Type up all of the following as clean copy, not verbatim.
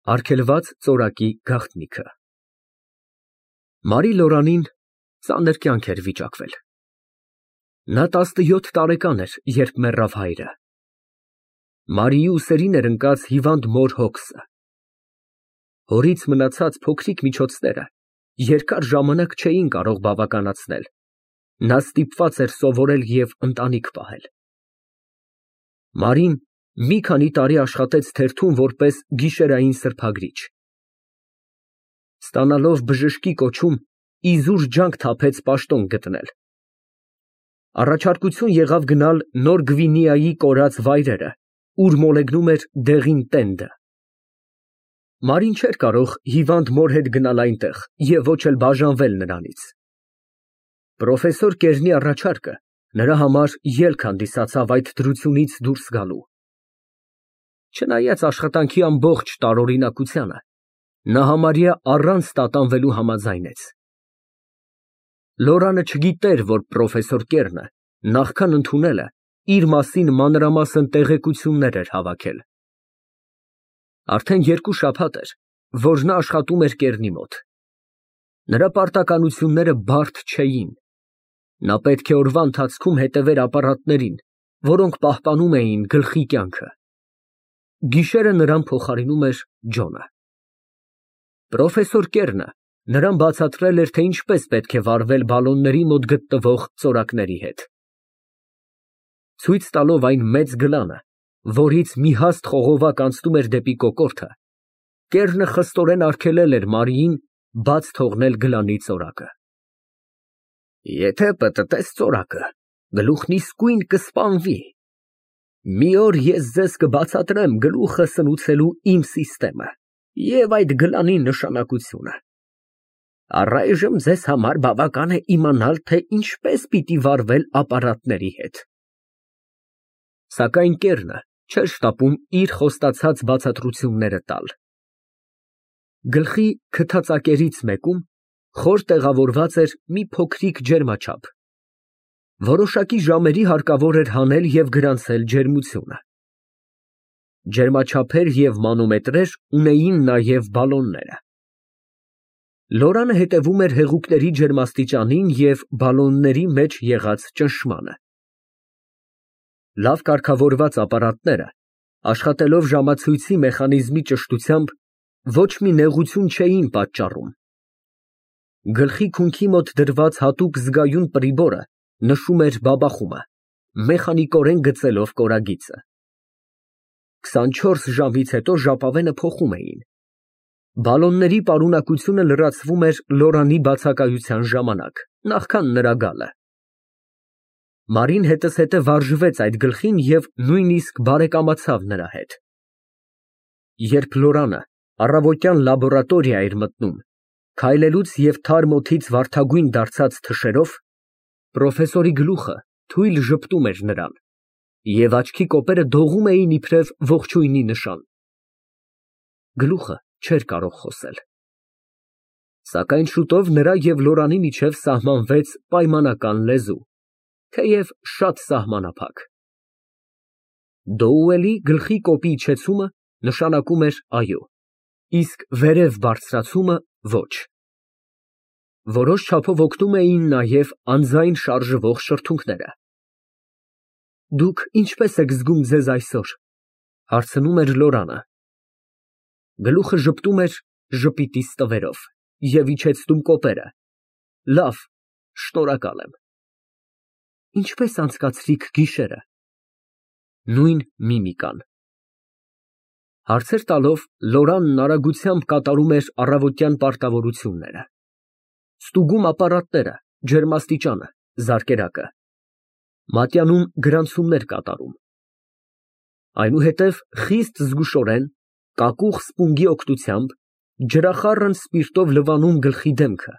Արգելված ծորակի գաղտնիքը։ Մարի Լորանին ծանր կյանք էր վիճակվել։ Նա 17 տարեկան էր, երբ մեռավ հայրը։ Մարիի ուսերին էր ընկած հիվանդ մոր հոգսը։ Հորից մնացած փոքրիկ միջոցները երկար ժամանակ չէին կարող բավականացնել։ Նա ստիպված էր սովորել և ընտանիք պահել։ Մարին մի քանի տարի աշխատեց թերթում որպես գիշերային սրբագրիչ։ Ստանալով բժշկի կոչում, իզուր ջանք թափեց պաշտոն գտնել։ Առաջարկություն եղավ գնալ Նոր Գվինեայի կորած վայրերը, ուր մոլեգնում էր դեղին տենդը։ Մարին չէր կարող հիվանդ մոր հետ գնալ այնտեղ և ոչ էլ բաժանվել նրանից։ Պրոֆեսոր Կերնի առաջարկը նրա համար ելք հանդիսացավ այդ դրությունից դուրս գալու։ Չնայած աշխատանքի ամբողջ տարօրինակությանը, նա համարյա առանց տատանվելու համաձայնեց։ Լորանը չգիտեր, որ պրոֆեսոր Կերնը նախքան ընդունելը իր մասին մանրամասն տեղեկություններ էր հավաքել։ Արդեն 2 շաբաթ էր, որ նա աշխատում էր Կերնի մոտ։ Նրա պարտականությունները բարդ չէին։ Նա պետք է օրվա ընթացքում հետևեր ապարատներին, որոնք պահպանում էին գլխի կյանքը։ Գիշերը նրան փոխարինում էր Ջոնը։ Պրոֆեսոր Կերնը նրան բացատրել էր, թե ինչպես պետք է վարվել բալոնների մոտ գտնվող ծորակների հետ։ Ցույց տալով այն մեծ գլանը, որից մի հաստ խողովակ անցնում էր դեպի կոկորդը, Կերնը խստորեն արգելել էր Մարիին բաց թողնել գլանի ծորակը։ Եթե պտտես ծորակը, գլուխն իսկույն կսպանվի։ Մի օր ես ձեզ կբացատրեմ գլուխը սնուցելու իմ սիստեմը և այդ գլանի նշանակությունը։ Առայժմ ձեզ համար բավական է իմանալ, թե ինչպես պիտի վարվել ապարատների հետ։ Սակայն Կերնը չէր շտապում իր խոստացած բացատրությունները տալ։ Գլխի քթածակերից մեկում խոր տեղավորված էր մի փոքրիկ ջերմաչափ։ Որոշակի ժամերի հարկավոր էր հանել և գրանցել ջերմությունը։ Ջերմաչափեր և մանոմետրեր ունեին նաև բալոնները։ Լորանը հետևում էր հեղուկների ջերմաստիճանին և բալոնների մեջ եղած ճնշմանը։ Լավ կարգավորված ապարատները, աշխատելով ժամացույցի մեխանիզմի ճշտությամբ, ոչ մի նեղություն չէին պատճառում։ Գլխի քունքի մոտ դրված հատուկ զգայուն պրիբորը նշում էր բաբախումը, մեխանիկորեն գծելով կորագիծը։ 24 ժամից հետո ժապավենը փոխում էին։ Բալոնների պարունակությունը լրացվում էր Լորանի բացակայության ժամանակ, նախքան նրա գալը։ Մարին հետզհետե վարժվեց այդ գլխին և նույնիսկ բարեկամացավ նրա հետ։ Երբ Լորանը առավոտյան լաբորատորիա էր մտնում, քայլելուց և թարմ օդից վարդագույն դարձած թշերով, պրոֆեսորի գլուխը թույլ ժպտում էր նրան, և աչքի կոպերը դողում էին իբրև ողջույնի նշան։ Գլուխը չէր կարող խոսել։ Սակայն շուտով նրա և Լորանի միջև սահմանվեց պայմանական լեզու, թեև շատ սահմանափակ։ Դոուելի գլխի կոպի իջեցումը նշանակում էր այո, իսկ վերև բարձրացումը ոչ։ Որոշ չափով օգնում էին նաև անձայն շարժվող շրթունքները։ Դուք ինչպե՞ս եք զգում ձեզ այսօր, ֊ հարցնում էր Լորանը։ Գլուխը ժպտում էր ժպիտի ստվերով և իջեցնում կոպերը։ Լավ, շնորհակալ եմ։ Ինչպե՞ս անցկացրիք գիշերը։ Նույն միմիկան։ Հարցեր տալով Լորանն արագությամբ կատարում էր առավոտյան պարտավորությունները։ Ստուգում ապարատները, ջերմաստիճանը, զարկերակը։ Մատյանում գրանցումներ կատարում։ Այնուհետև խիստ զգուշորեն, կակուղ սպունգի օգնությամբ ջրախառն սպիրտով լվանում գլխի դեմքը,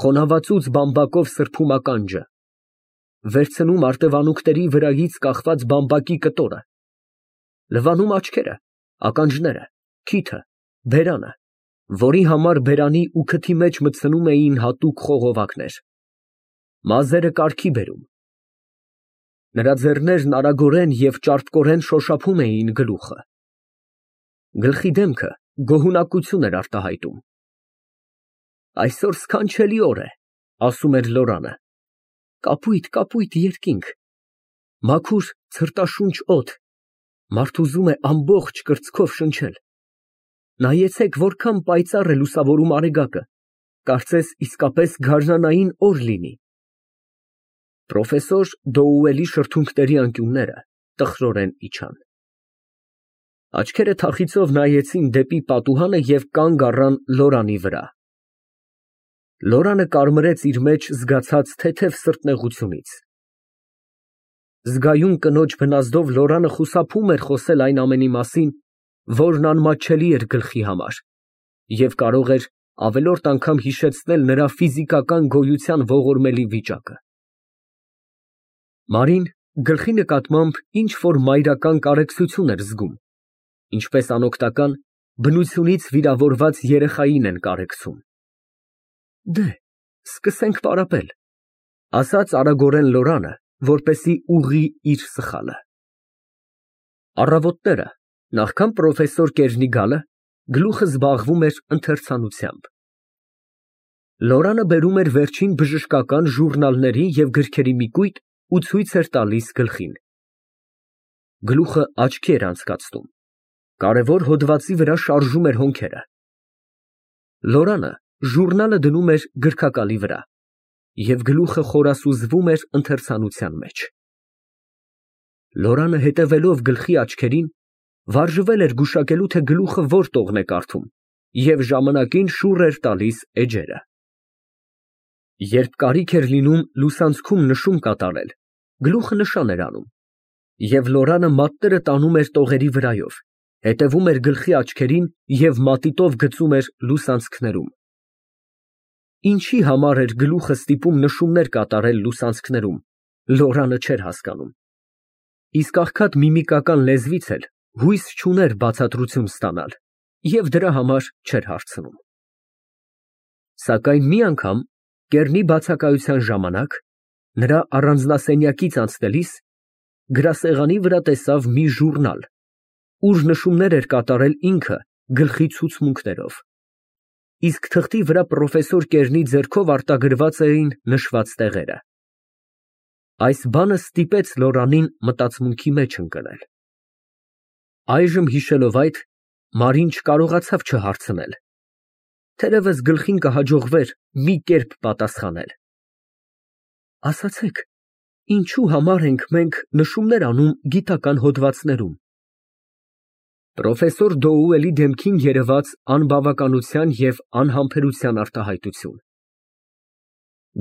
խոնավացուց բամբակով սրբում ականջը, վերցնում արտևանունքների վրայից կախված բամբակի կտորը, լվանում աչքերը, ականջները, քիթը, բերանը, որի համար բերանի ու քթի մեջ մտցնում էին հատուկ խողովակներ, մազերը կարգի բերում։ Նրա ձեռներն արագորեն և ճարպկորեն շոշափում էին գլուխը։ Գլխի դեմքը գոհունակություն էր արտահայտում։ Այսօր սքանչելի օր է, ասում էր Լորանը, կապույտ երկինք, մաքուր ցրտաշունչ օդ, մարդ ուզում է ամբողջ կրծքով շնչել։ Նայեցեք, որքան պայծառ է լուսավորում արեգակը, կարծես իսկապես գարնանային օր լինի։ Պրոֆեսոր Դոուելի շրթունքների անկյունները տխրորեն իջան։ Աչքերը թախիծով նայեցին դեպի պատուհանը և կանգ առան Լորանի վրա։ Լորանը կարմրեց իր մեջ զգացած թեթև սրտնեղությունից։ Զգայուն կնոջ բնազդով Լորանը խուսափում էր խոսել այն ամենի մասին, որն անմատչելի էր գլխի համար, և կարող էր ավելորդ անգամ հիշեցնել նրա ֆիզիկական գոյության ողորմելի վիճակը։ Մարին գլխի նկատմամբ ինչ֊որ մայրական կարեկցություն էր զգում, ինչպես անօգնական, բնությունից վիրավորված երեխային են կարեկցում։ Դե, սկսենք պարապել, ասաց արագորեն Լորանը, որպեսզի ուղղի իր սխալը։ Առավոտները, նախքան պրոֆեսոր Կերնի գալը, գլուխը զբաղվում էր ընթերցանությամբ։ Լորանը բերում էր վերջին բժշկական ժուրնալների և գրքերի մի կույտ ու ցույց էր տալիս գլխին։ Գլուխը աչքի էր անցկացնում, կարևոր հոդվածի վրա շարժում էր հոնքերը։ Լորանը ժուրնալը դնում էր գրքակալի վրա, և գլուխը խորասուզվում էր ընթերցանության մեջ։ Լորանը հետևելով գլխի աչքերին, վարժվել էր գուշակելու, թե գլուխը որ տողն է կարդում, և ժամանակին շուռ էր տալիս էջերը։ Երբ կարիք էր լինում լուսանցքում նշում կատարել, գլուխը նշան էր անում, և Լորանը մատները տանում էր տողերի վրայով, հետևում էր գլխի աչքերին և մատիտով գծում էր լուսանցքներում։ Ինչի համար էր գլուխը ստիպում նշումներ կատարել լուսանցքներում, Լորանը չէր հասկանում, իսկ աղքատ միմիկական լեզվից էլ հույս չուներ բացատրություն ստանալ և դրա համար չէր հարցնում։ Սակայն մի անգամ, Կեռնի բացակայության ժամանակ, նրա առանձնասենյակից անցնելիս, գրասեղանի վրա տեսավ մի ժուրնալ, ուր նշումներ էր կատարել ինքը գլխի ցուցմունքներով, իսկ թղթի վրա պրոֆեսոր Կերնի ձեռքով արտագրված էին նշված տեղերը։ Այս բանը ստիպեց Լորանին մտածմունքի մեջ ընկնել։ Այժմ հիշելով այդ, Մարին չկարողացավ չհարցնել, թերևս գլխին կհաջողվեր մի կերպ պատասխանել։ Ասացեք, ինչու համար ենք մենք նշումներ անում գիտական հոդվածներում։ Պրոֆեսոր Դոուելի դեմքին երևաց անբավականության և անհամբերության արտահայտություն։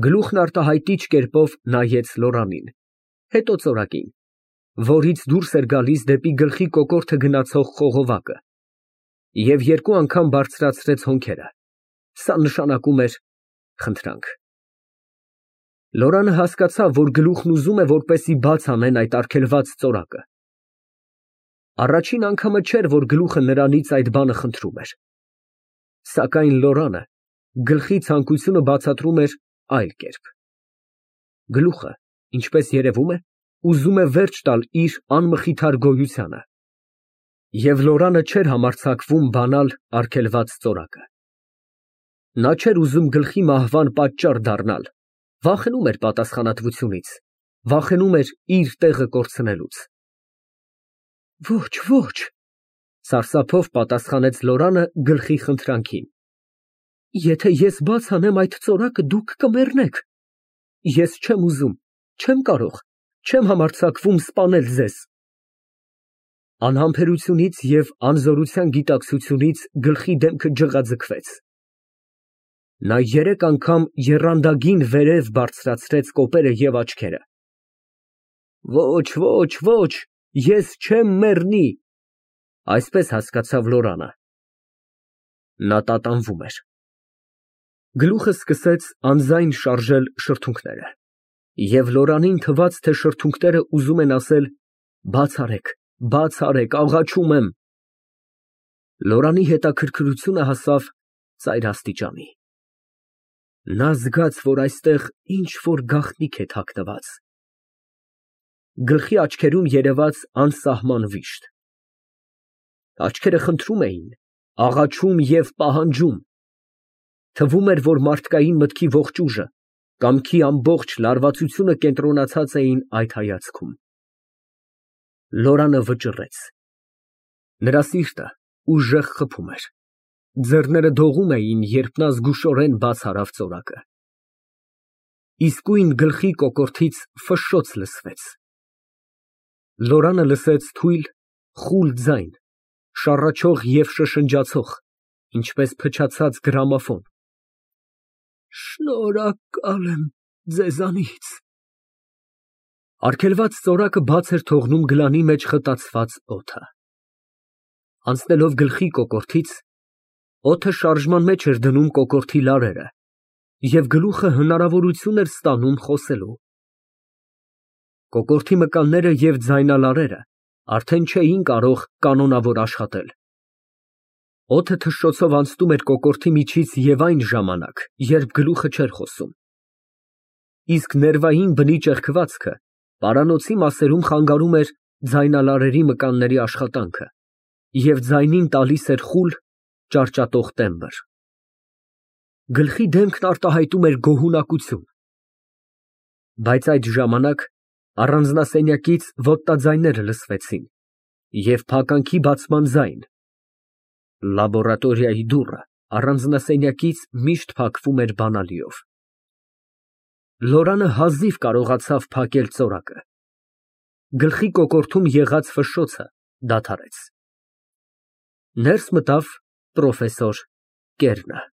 Գլուխն արտահայտիչ կերպով նայեց Լորանին, հետո ծորակին, որից դուրս էր գալիս դեպի գլխի կոկորդը գնացող խողովակը, և երկու անգամ բարձրացրեց հոնքերը, սա նշանակում էր խնդրանք։ Լորանը հասկացավ, որ գլուխն ուզում է, որպեսզի բաց անեն այդ արգելված ծորակը։ Առաջին անգամը չէր, որ գլուխը նրանից այդ բանը խնդրում էր։ Սակայն Լորանը գլխի ցանկությունը բացատրում էր այլ կերպ։ Գլուխը, ինչպես երևում է, ուզում է վերջ տալ իր անմխիթար գոյությանը, և Լորանը չէր համարձակվում բանալ արգելված ծորակը։ Նա չէր ուզում գլխի մահվան պատճառ դառնալ, վախենում էր պատասխանատվությունից, վախենում էր իր տեղը կորցնելուց։ Ոչ, ոչ, սարսափով պատասխանեց Լորանը գլխի խնդրանքին։ Եթե ես բաց անեմ այդ ծորակը, դուք կմեռնեք։ Ես չեմ ուզում, չեմ կարող, չեմ համարձակվում սպանել ձեզ։ Անհամբերությունից և անզորության գիտակցությունից գլխի դեմքը ջղաձգվեց։ Նա երեք անգամ եռանդագին վերև բարձրացրեց կոպերը և աչքերը։ Ոչ, ոչ, ոչ, ես չեմ մեռնի, այսպես հասկացավ Լորանը։ Նա տատանվում էր։ Գլուխը սկսեց անձայն շարժել շրթունքները, և Լորանին թվաց, թե շրթունքները ուզում են ասել. «Բաց արեք, աղաչում եմ»։ Լորանի հետաքրքրությունը հասավ ծայր աստիճանի։ Նա զգաց, որ այստեղ ինչ֊որ գաղտնիք է թաքնված։ Գլխի աչքերում երևաց անսահման վիշտ։ Աչքերը խնդրում էին, աղաչում և պահանջում։ Թվում էր, որ մարդկային մտքի ողջ ուժը, կամքի ամբողջ լարվածությունը կենտրոնացած էին այդ հայացքում։ Լորանը վճռեց։ Նրա սիրտը ուժեղ խփում էր։ Ձեռները դողում էին, երբ նա զգուշորեն բաց արավ ծորակը։ Իսկույն գլխի կոկորդից ֆշշոց լսվեց։ Լորանը լսեց թույլ, խուլ ձայն, շառաչող և շշնջացող, ինչպես փչացած գրամոֆոն։ Շնորհակալ եմ ձեզանից։ Արգելված ծորակը բաց էր թողնում գլանի մեջ խտացված օդը։ Անցնելով գլխի կոկորդից, օդը շարժման մեջ էր դնում կոկորդի լարերը, և գլուխը հնարավորություն էր ստանում խոսելու։ Կոկորդի մկանները և ձայնալարերը արդեն չէին կարող կանոնավոր աշխատել։ Օդը թշշոցով անցնում էր կոկորդի միջից և այն ժամանակ, երբ գլուխը չէր խոսում։ Իսկ ներվային բնի ճեղքվածքը պարանոցի մասերում խանգարում էր ձայնալարերի մկանների աշխատանքը և ձայնին տալիս էր խուլ, ճարճատող տեմբր։ Գլխի դեմքն արտահայտում էր գոհունակություն։ Բայց այդ ժամանակ առանձնասենյակից ոտնաձայներ լսվեցին և փականքի բացման ձայն։ Լաբորատորիայի դուռը առանձնասենյակից միշտ փակվում էր բանալիով։ Լորանը հազիվ կարողացավ փակել ծորակը։ Գլխի կոկորդում եղած ֆշշոցը դադարեց։ Ներս մտավ պրոֆեսոր Կերնը։